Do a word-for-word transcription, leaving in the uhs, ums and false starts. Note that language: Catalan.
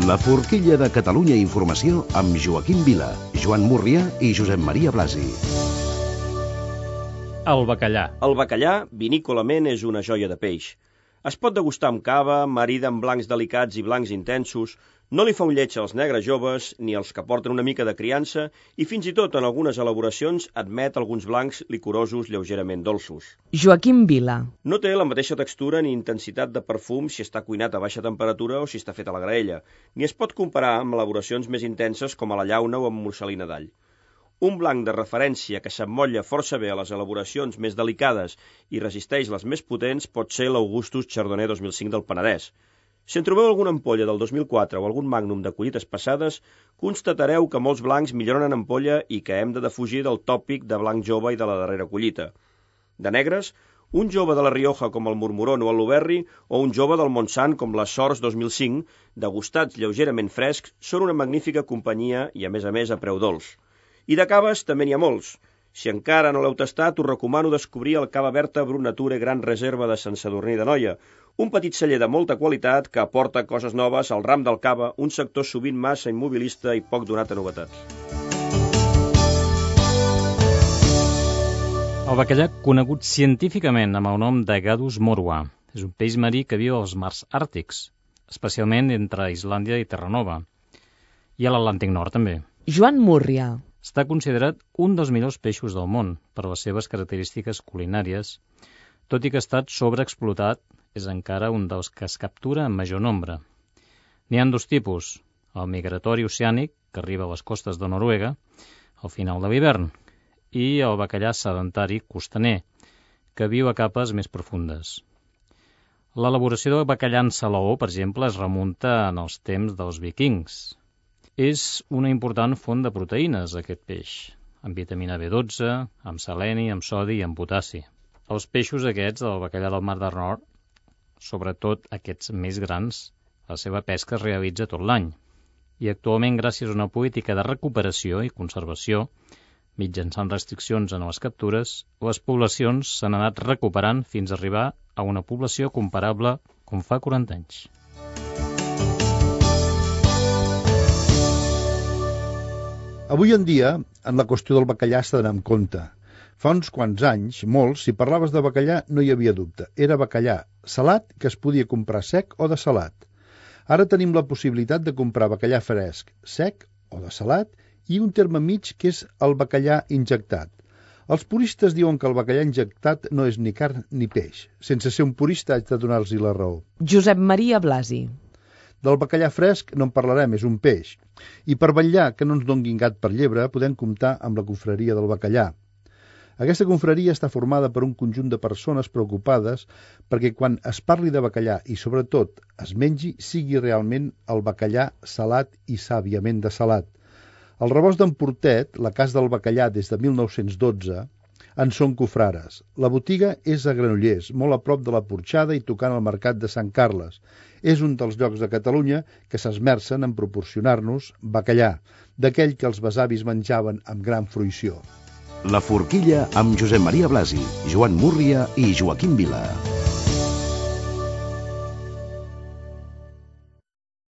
La forquilla de Catalunya Informació amb Joaquim Vila, Joan Múrria i Josep Maria Blasi. El bacallà. El bacallà, vinícolament, és una joia de peix. Es pot degustar amb cava, marida amb blancs delicats i blancs intensos, no li fa un lleig als negres joves, ni als que porten una mica de criança, i fins i tot en algunes elaboracions admet alguns blancs licorosos lleugerament dolços. Joaquim Vila. No té la mateixa textura ni intensitat de perfum si està cuinat a baixa temperatura o si està fet a la graella, ni es pot comparar amb elaboracions més intenses com a la llauna o amb morcel·lina d'all. Un blanc de referència que s'emmotlla força bé a les elaboracions més delicades i resisteix les més potents pot ser l'Augustus Chardonnay dos mil cinc del Penedès. Si en trobeu alguna ampolla del dos mil quatre o algun magnum de collites passades, constatareu que molts blancs milloren en ampolla i que hem de defugir del tòpic de blanc jove i de la darrera collita. De negres, un jove de la Rioja com el Mormoron o el Luberri o un jove del Montsant com les Sors dos mil cinc, degustats lleugerament frescs, són una magnífica companyia i, a més a més, a preu dolç. I de caves també n'hi ha molts. Si encara no l'heu tastat, us recomano descobrir el Cava Berta Brut Nature Gran Reserva de Sant Sadurní d'Anoia, un petit celler de molta qualitat que aporta coses noves al ram del cava, un sector sovint massa immobilista i poc donat a novetats. El bacallà, conegut científicament amb el nom de Gadus morua, és un peix marí que viu als mars àrtics, especialment entre Islàndia i Terranova, i a l'Atlàntic Nord també. Joan Múrria. Està considerat un dels millors peixos del món per les seves característiques culinàries, tot i que ha estat sobreexplotat, és encara un dels que es captura en major nombre. N'hi ha dos tipus, el migratori oceànic, que arriba a les costes de Noruega al final de l'hivern, i el bacallà sedentari costaner, que viu a capes més profundes. L'elaboració del bacallà en salaó, per exemple, es remunta en els temps dels vikings. És una important font de proteïnes, aquest peix, amb vitamina B dotze, amb seleni, amb sodi i amb potassi. Els peixos aquests, del bacallà del Mar del Nord, sobretot aquests més grans, la seva pesca es realitza tot l'any. I actualment, gràcies a una política de recuperació i conservació, mitjançant restriccions en les captures, les poblacions s'han anat recuperant fins a arribar a una població comparable com fa quaranta anys. Avui en dia, en la qüestió del bacallà s'ha d'anar amb compte. Fa uns quants anys, molts, si parlaves de bacallà no hi havia dubte. Era bacallà salat que es podia comprar sec o de salat. Ara tenim la possibilitat de comprar bacallà fresc, sec o de salat, i un terme mig que és el bacallà injectat. Els puristes diuen que el bacallà injectat no és ni carn ni peix. Sense ser un purista haig de donar-los la raó. Josep Maria Blasi. Del bacallà fresc no en parlarem, és un peix. I per vetllar que no ens donguin gat per llebre, podem comptar amb la confraria del bacallà. Aquesta confraria està formada per un conjunt de persones preocupades perquè quan es parli de bacallà i, sobretot, es mengi, sigui realment el bacallà salat i sàviament de salat. El rebost d'en Portet, la casa del bacallà des de mil nou-cents dotze, en són cofrares. La botiga és a Granollers, molt a prop de la Porxada i tocant al mercat de Sant Carles. És un dels llocs de Catalunya que s'esmercen en proporcionar-nos bacallà, d'aquell que els besavis menjaven amb gran fruïció. La forquilla amb Josep Maria Blasi, Joan Múrria i Joaquim Vila.